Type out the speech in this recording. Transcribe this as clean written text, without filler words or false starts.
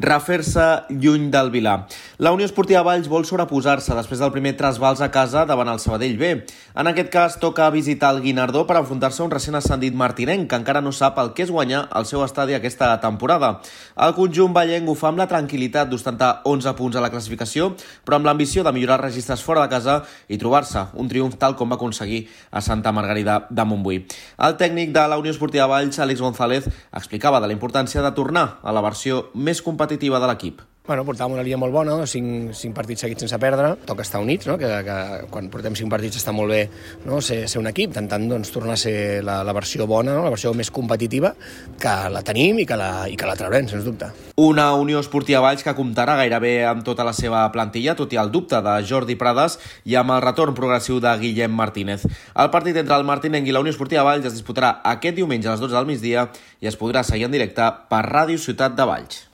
refer-se lluny del Vilà. La Unió Esportiva Valls vol sobreposar-se després del primer trasbals a casa davant el Sabadell B. En aquest cas, toca visitar el Guinardó per enfrontar-se a un recent ascendit martinenc que encara no sap el que és guanyar al seu estadi aquesta temporada. El conjunt vallenc ho fa amb la tranquil·litat d'ostentar 11 punts a la classificació, però amb l'ambició de millorar els registres fora de casa i trobar-se un triomf tal com va aconseguir a Santa Margarida de Montbui. El tècnic de la Unió Esportiva Valls, Àlex González, explicava de la importància de tornar a la versió més competitiva de l'equip. Portàvem una línia molt bona, 5 partits seguits sense perdre, toca estar units, no? que quan portem 5 partits està molt bé, no? ser un equip, intentant tornar a ser la versió bona, no? La versió més competitiva, que la tenim i que la traurem, sens dubte. Una Unió Esportiva Valls que comptarà gairebé amb tota la seva plantilla, tot i el dubte de Jordi Prades i amb el retorn progressiu de Guillem Martínez. El partit entre el Martinenc i la Unió Esportiva Valls es disputarà aquest diumenge a les 12 del migdia i es podrà seguir en directe per Ràdio Ciutat de Valls.